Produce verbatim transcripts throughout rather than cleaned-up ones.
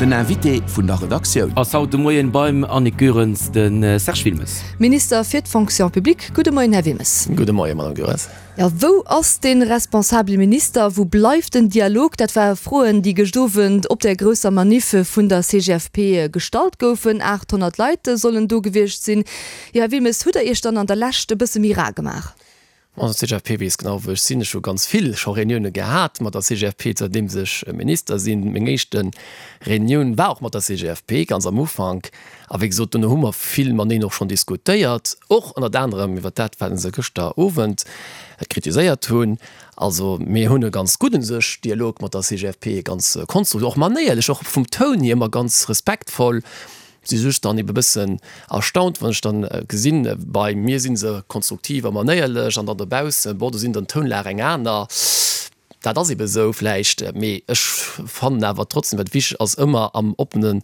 Den Invité vun der Redaktioun. Ass haut de Moien beim Annick Goerens de Serge Wilmes. Minister fir d'Fonction publique. Gudde Moien, Här Wilmes. Gudde Moien, Madame Goerens. Jo, wou ass de responsabele Minister? Wou bleift den Dialog? Dat ware Froen, déi gëscht Owend op der grousser Maniff vun der C G F P gestallt goufen. achthonnert Leit sollen do gewiescht sinn. Jo, Här Wilmes, hutt Der Iech dann an der Lescht e bësse méi rar gemaach? Also d'C G F P weess genau, wou ech sinn. Ech hu ganz vill scho Reunioune gehat mat der C G F P, zanterdeems ech Minister sinn. Meng éischte Reunioun war och mat der C G F P, ganz am Ufank. A wéi gesot, dunn hu mer vill mateneen och schonn diskutéiert, och ënnert anerem iwwer dat, wat se gëschter Owend kritiséiert hunn. Also mir hunn e ganz gudden sech Dialog mat der C G F P, ganz konstruktiv, och manéierlech, och vum Toun hier ëmmer ganz respektvoll. Si just dann ebe bëssen erstaunt, wann ech dann gesinn, bei mir si se konstruktiv a manéierlech an dann dobaussen, bon, do sinn dann d'Tounlag eng aner. Dat ass ebe sou vläicht, mee ech fannen awer trotzdem, wat wichteg ass, ëmmer am oppenen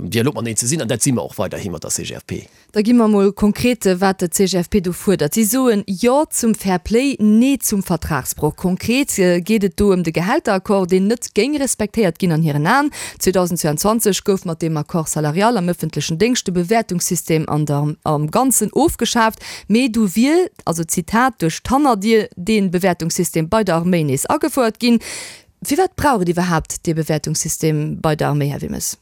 Dialog mateneen ze sinn, an dat si mer och weiderhi mat der C G F P. Da gi mer mol konkret, wat d'C G F P do fuerdert. Si soen Jo zum Fair Play, Nee zum Vertragsbroch. Konkret geet et do ëm de Gehälteraccord, deen net géing respektéiert ginn an hiren Aen. zweedausendzweianzwanzeg gouf mat deem Accord salarial am ëffentlechen Déngscht de Bewäertungssystem an der am Ganzen ofgeschaaft. Mee du wier, also Zitat, duerch d'Hannerdier dee Bewäertungssystem bei der Arméi nees agefouert ginn. Firwat brauch et iwwerhaapt dee Bewäertungssystem bei der Arméi, Här Wilmes?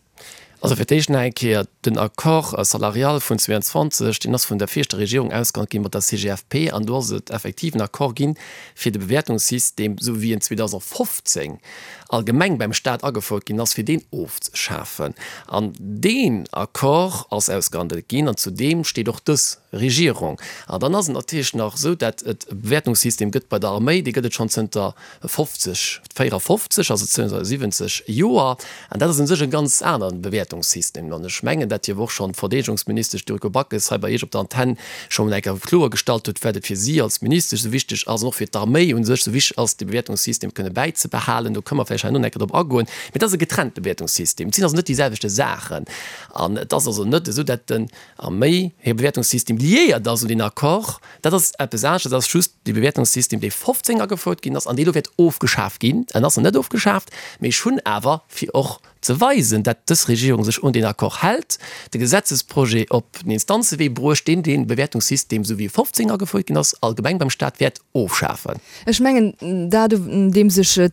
Also fir d'éischt nach eng Kéier, den Accord salarial vun zweianzwanzeg, deen ass vun der viregter Regierung ausgehandelt gi mat der C G F P, an do ass et effektiv en Accord ginn, fir de Bewäertungssystem, esou wéi en zweedausendfofzéng allgemeng beim Stat agefouert ginn ass, fir deen ofzeschafen. An deen Accord ass ausgehandelt ginn an zu deem steet och dës Regierung. An dann ass et natierlech nach esou, dat et e Bewäertungssystem gëtt bei der Arméi, dee gëtt et schonn zënter fofzeg, véierafofzeg, also zënter siwwenzeg Joer, an dat ass u sech e ganz aneren Bewäertungssystem. An ech mengen, dat jo och schonn d'Verdeedegungsministesch Yuriko Backes hei bei Iech op der Antenn schonn eng Kéier kloergestallt huet, firwat et fir si als Ministesch esou wichteg ass an och fir d'Arméi u sech esou wichteg ass, de Bewäertungssystem kënne bäizebehalen. Do kënne mer vläicht herno nach eng Kéier drop agoen. Mee et ass e getrennte Bewäertungssystem. Et sinn also net déi selwechte Saachen. An et ass also net esou, dat den Arméi hir Bewäertungssystem liéiert ass un deen Accord. Dat ass eppes anescht. Dat ass just de Bewäertungssystem, dee fofzéng agefouert ginn ass an dee elo wäert ofgeschaaft ginn. En ass nach net ofgeschaaft, mee ech hunn awer, fir och ze weisen, dat dës Regierung sech un deen Accord hält, de Gesetzesprojet op den Instanzewee bruecht, deen dee Bewäertungssystem, esou wéi e fofzéng agefouert ginn ass, allgemeng beim Staat wäert ofschafen. Ech mengen, dat, un deem sech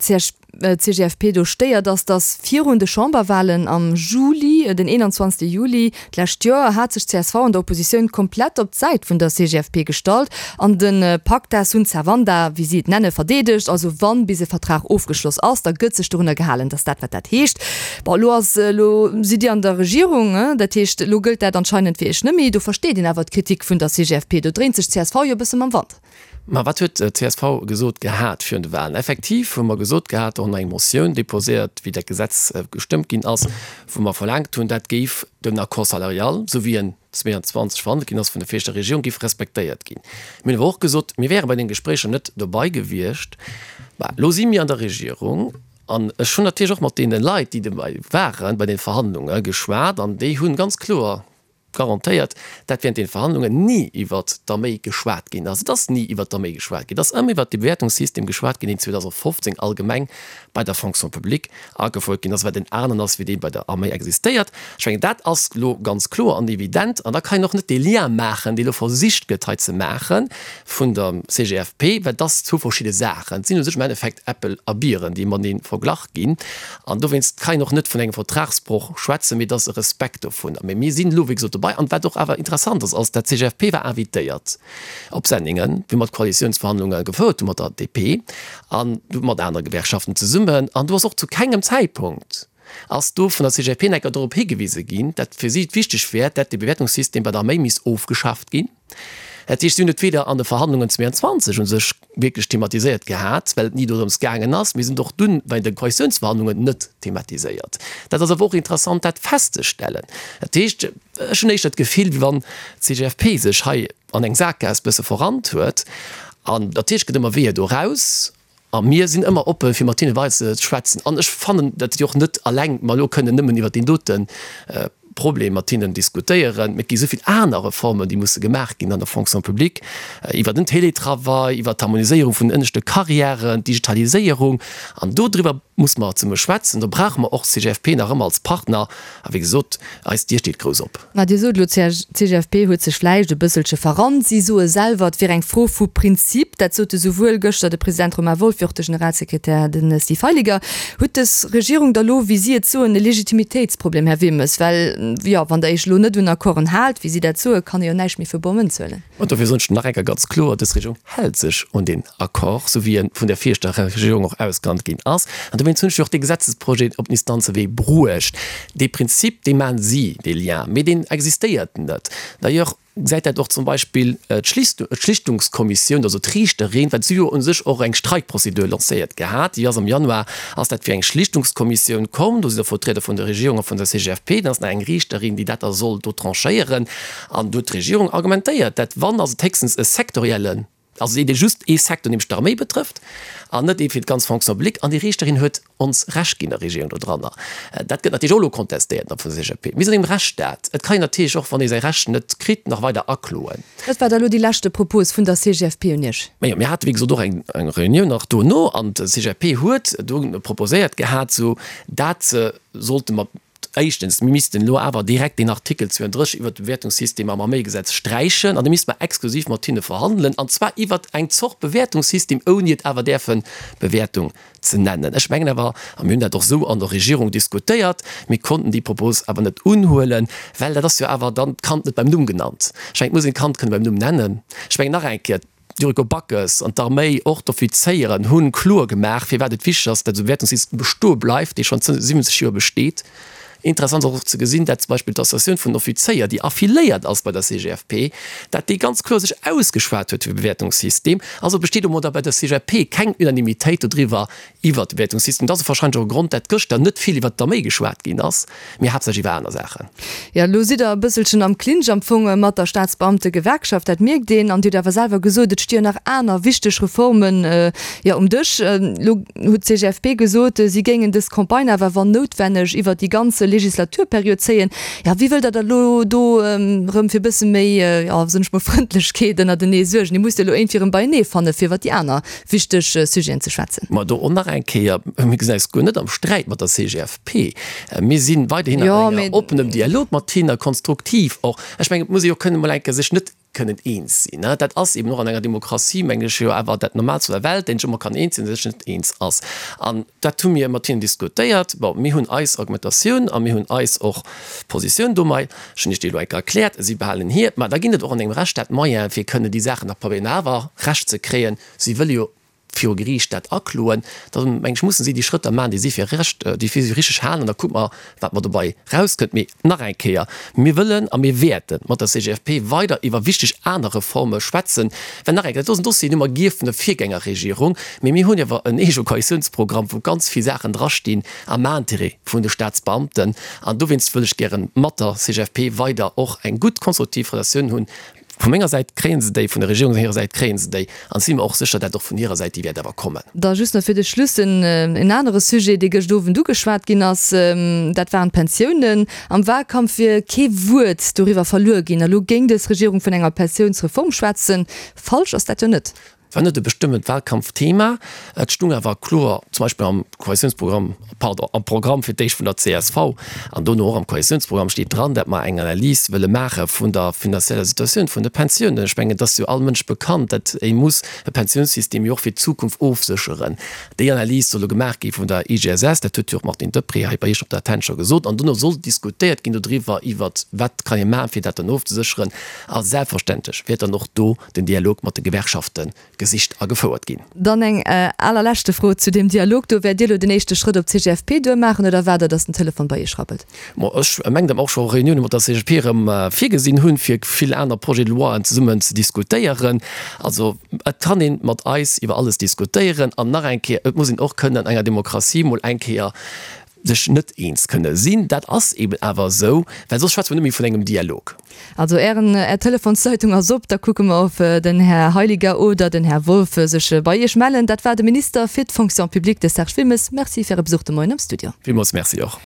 d'C G F P do stéiert, ass, datt virun de Chamberwahlen am Juli, den eenanzwanzegste Juli d'lescht Joer, hat sech d'C S V an der Oppositioun komplett op d'Säit vun der C G F P gestallt an de Pacta sunt servanda, wéi si et nenne, verdeedegt. Also wann bis e Vertrag ofgeschloss ass, da gëtt sech dorunner gehalen. Dat ass dat, wat dat heescht. Bon, elo ass, elo sidd Dir an der Regierung, dat heescht, elo gëllt dat anscheinend fir Iech net méi. Do versteet een awer d'Kritik vun der C G F P. Do dréint sech d'C S V jo e bësse mam Wand. Ma wat huet d'C S V gesot gehat virun de Wahlen? Effektiv hu mer gesot gehat, och eng Motioun deposéiert, wéi dat Gesetz gestëmmt ginn ass, wou mer verlaangt hunn, dat géif den Accord salarial, esou wéi en zweianzwanzeg verhandelt ginn ass vun der viregter Regierung, géif respektéiert ginn. Mir hunn awer och gesot, mir wäre bei den Gespréicher net dobei gewiescht. Bah, elo si mir an der Regierung an ech hunn natierlech och mat deene Leit, déi dobäi waren bei den Verhandlunge geschwat, an déi hunn ganz kloer garantéiert, dat während den Verhandlungen ni iwwert d'Arméi geschwat ginn ass. Et ass ni iwwert d'Arméi geschwat ginn. Et ass ëmmer iwwert de Bewäertungssystem geschwat ginn, deen zweedausendfofzéng allgemeng bei der Fonction publique agefouert ginn ass, wat en aneren ass, wéi dee bei der Arméi existéiert. Ech mengen, dat ass elo ganz kloer an evident. An da kann een och net dee Lien maachen, dee elo versicht gëtt hei ze maache vun der C G F P, well dat ass zwou verschidde Saachen. Et sinn u sech am Endeffekt Äppel a Bieren, déi matenee verglach ginn. An dowéinst kann een och net vun engem Vertragsbroch schwätzen, mee et ass e Respekt dovunner. Mee mir sinn elo, wéi gesot, dobei. An wat och awer interessant ass, ass, dat d'C G F P war invitéiert op Senningen, wéi mer d'Koalitiounsverhandlunge gefouert hu mat der D P an mat anere Gewerkschaften zesummen. An do ass och zu kengem Zäitpunkt ass do vun der C G F P enker dorop higewise ginn, dat fir si et wichteg wär, dat de Bewäertungssystem bei der Arméi misst ofgeschaaft ginn. Dat heescht, si hunn et weder an de Verhandlungen zweianzwanzeg u sech wierklech thematiséiert gehat, well et ni dorëms gaangen ass, mee si hunn et och dunn bei de Koalitiounsverhandlungen net thematiséiert. Dat ass awer och interessant, dat festzestellen. Dat heescht, ech hunn éischter d'Gefill, wéi wann d'C G F P sech hei an eng Sakgaass bësse verrannt huet. An natierlech gëtt ëmmer Weeër do raus. A mir sinn ëmmer oppe fir mat hinne weider ze schwätzen. An ech fannen, datt jo och net alleng mer elo kënnen nëmmen iwwert deen dote Problem mat hinnen diskutéieren. Mee et gi souvill aner Reformen, déi musse gemaach ginn an der Fonction publique, iwwer den Télétravail, iwwer d'Harmoniséierung vun den ënneschte Carrièren, d'Digitaliséierung. An dodriwwer musse mer zesumme schwätzen. Do brauche mer och d'CGFP nach ëmmer als Partner. A wéi gesot, eis Dier steet grouss op. Mä Dir sot elo, d'CGFP huet sech vläicht e bësselche verrannt. Si soe selwer, et wier eng Fro vu Prinzip. Dat sote souwuel gëschter de President Romain Wolff wéi och de Generalsekretär, de Steve Heiliger. Huet dës Regierung da lo, wéi si et soen, e Legitimitéitsproblem, Här Wilmes? Well, jo, wann Der Iech elo net un Accorden haalt, wéi si dat soen, kann ee jo näischt méi fir bor Mënz huelen. An dofir soen ech nach eng Kéier ganz kloer, Dës Regierung hält sech un deen Accord, esou wéi e vun der viregter Regierung och ausgehandelt ginn ass. An dowéinst hunn ech jo och dee Gesetzesprojet op den Instanzewee bruecht. Dee Prinzip, dee maachen si, dee Lien, mee deen existéiert net. D'ailleurs gesäit dat och zum Beispill d'Schlichtungskommissioun, also d'Riichterin, well si hu jo u sech och eng Streikprozedur lancéiert gehat, déi ass am Januar ass dat fir eng Schlichtungskommissioun komm, do sinn da Vertrieder vun der Regierung a vun der C G F P, dann ass nach eng Riichterin, déi dat da soll do tranchéieren. An do huet d'Regierung argumentéiert, dat wann ass et héchstens e sektoriellen, also dee just ee Secteur, nämlech d'Arméi betrëfft, an net ee fir d'ganz Fonction publique. An déi Riichterin huet ons Recht ginn, der Regierung dodranner. Dat gëtt natierlech och elo kontestéiert nach vun der C G F P. Mir sinn an engem Rechtsstaat. Et kann een natierlech och, wann ee säi Recht net kritt, nach weider akloen. Wat war da elo déi leschte Propos vun der C G F P un Iech? Majo, mir hate wéi gesot och eng Reunioun nach dono an d'C G F P huet do proposéiert gehat, sou dat sollte mer éischtens, mir missten elo awer direkt deen Artikel zwouandrësseg iwwert de Bewäertungssystem am Arméigesetz sträichen an da misste mer exklusiv mat hinne verhandelen, an zwar iwwert eng Zort Bewäertungssystem, ouni et awer däerfe Bewäertung ze nennen. Ech mengen awer, a mir hunn dat och esou an der Regierung diskutéiert, mir konnten déi Propos awer net unhuelen, well dat ass jo awer dann d'Kand net beim Numm genannt. Ech mengen, et muss een d'Kand kënne beim Numm nennen. Ech mengen nach eng Kéier, d'Yuriko Backes an d'Arméi, och d'Offizéieren hu kloer gemaach, firwat et wichteg ass, datt esou e Bewäertungssystem bestoe bleift, dee schonn zënter siwwenzeg Joer besteet. Interessant ass och ze gesinn, dat zum Beispill d'Associatioun vun den Offizéier, déi affiliéiert ass bei der C G F P, dat déi ganz kloer sech ausgeschwat huet fir e Bewäertungssystem. Also besteet domadder bei der C G F P keng Unanimitéit dodriwwer, iwwert de Bewäertungssystem. Dat ass wahrscheinlech och e Grond, dat gëschter net vill iwwert d'Arméi geschwat ginn ass, mee haaptsächlech iwwer aner Saachen. Jo, elo sidd Der e bësselchen am Clinch am Fong mat der Staatsbeamtegewerkschaft, dat mierkt een. An Dir hutt awer selwer gesot, et sti jo nach aner wichteg Reformen, jo, um Dësch. Elo huet d'C G F P gesot, si géingen dës Campagne awer wann noutwenneg iwwert déi ganz Legislaturperiod zéien. Jo, wéi wëllt Der da elo do erëm fir e bësse méi, jo, soen ech mol, Frëndlechkeet ënnertenee suergen? Dir musst jo elo iergendwéi erëm beienee fanne fir iwwert déi aner wichteg Sujeten ze schwätzen. Ma do och nach eng Kéier, mir gesinn eis guer net am Sträit mat der C G F P. Mir si weiderhin an engem oppenem Dialog mat hinne, konstruktiv och. Ech mengen, et muss ee jo kënnen emol eng Kéier sech net kënnen eens sinn. Dat ass eben och an enger Demokratie, mengen ech, jo awer dat Normaalst vun der Welt, datt een sech ëmmer kann eens sinn, sech net eens ass. An dat hu mir mat hinnen diskutéiert. Bon, mir hunn eis Argumentatioun a mir hunn eis och Positioun domat, ech hunn Iech déi elo eng Kéier erkläert, si behalen hir. Mä da ginn et och an engem Rechtsstaat Moyene fir kënnen déi Saachen nach probéieren awer Recht ze kréien. Si wëlle jo viru Geriicht dat akloen, da meng ech, mussen si déi Schrëtter maachen, déi si fir recht, déi fir si richteg halen, an da kucke mer, wat mer dobei rauskënnt. Mee nach eng Kéier, Mir wëllen a mir wäerte mat der C G F P weider iwwer wichteg aner Reforme schwätzen, well nach eng Kéier, dat do ass en Dossier, deen hu mer gierf vun der Virgängerregierung, mee mir hunn awer en eege Koalitiounsprogramm, wou ganz vill Saachen drastinn am Intérêt vun de Staatsbeamten, an dowéinst wëll ech gäre mat der C G F P weider och eng gutt konstruktiv Relatioun hunn. Vu menger Säit kréie se déi, vun der Regierung hirer Säit kréie se déi, an si mir och sécher, dat och vun hirer Säit déi wäert awer kommen. Da just nach fir de Schluss en anere Sujet, dee gëscht Owend ugeschwat ginn ass, dat waren d'Pensiounen. Am Wahlkampf wier kee Wuert doriwwer verluer ginn. Elo géing dës Regierung vun enger Pensiounsreform schwätzen. Falsch ass dat jo net. War net e bestëmmend Wahlkampfthema. Et stung awer kloer zum Beispill am Koalitiounsprogramm, pardon, am Programm fir d'éischt vun der C S V an dono och am Koalitiounsprogramm steet dran, dat mer eng Analys wëlle maache vun der finanzieller Situatioun vun de Pensiounen. Ech mengen, et ass jo all Mënsch bekannt, dat ee muss e Pensiounssystem jo och fir d'Zukunft ofsécheren. Déi Analys soll elo gemaach gi vun der I G S S, dat huet jo och d'Martine Deprez hei bei Iech op der Antenn scho gesot, an dono soll diskutéiert ginn dodriwwer, iwwert wat kann ee maachen, fir dat dann ofzesécheren. A selbstverständlech wäert dann och do den Dialog mat de Gewerkschafte gesicht a gefouert ginn. Dann eng allerleschte Fro zu deem Dialog do, Wäert Dir elo den éischte Schrëtt op d'C G F P duer maachen oder waart Der, datt den Telefon bei Iech rabbelt? Bon, ech mengen, datt mer och scho Reunioune mat der C G F P erëm virgesinn hunn, fir vill aner Projets de loien zesummen ze diskutéieren. Also et kann ee mat eis iwwer alles diskutéieren. An nach eng Kéier, et muss een och kënnen an enger Demokratie mol eng Kéier sech net eens kënne sinn. Dat ass eben awer esou, well soss schwätze mer net méi vun engem Dialog. Also Ären, Är Telefonsleitung ass op, da kucke mer, ob den Här Heiliger oder den Här Wolff sech bei Iech mellen. Dat war de Minister fir d'Fonction publique, de Serge Wilmes. Merci fir Äre Besuch de Moien am Studio. Villmools Merci och.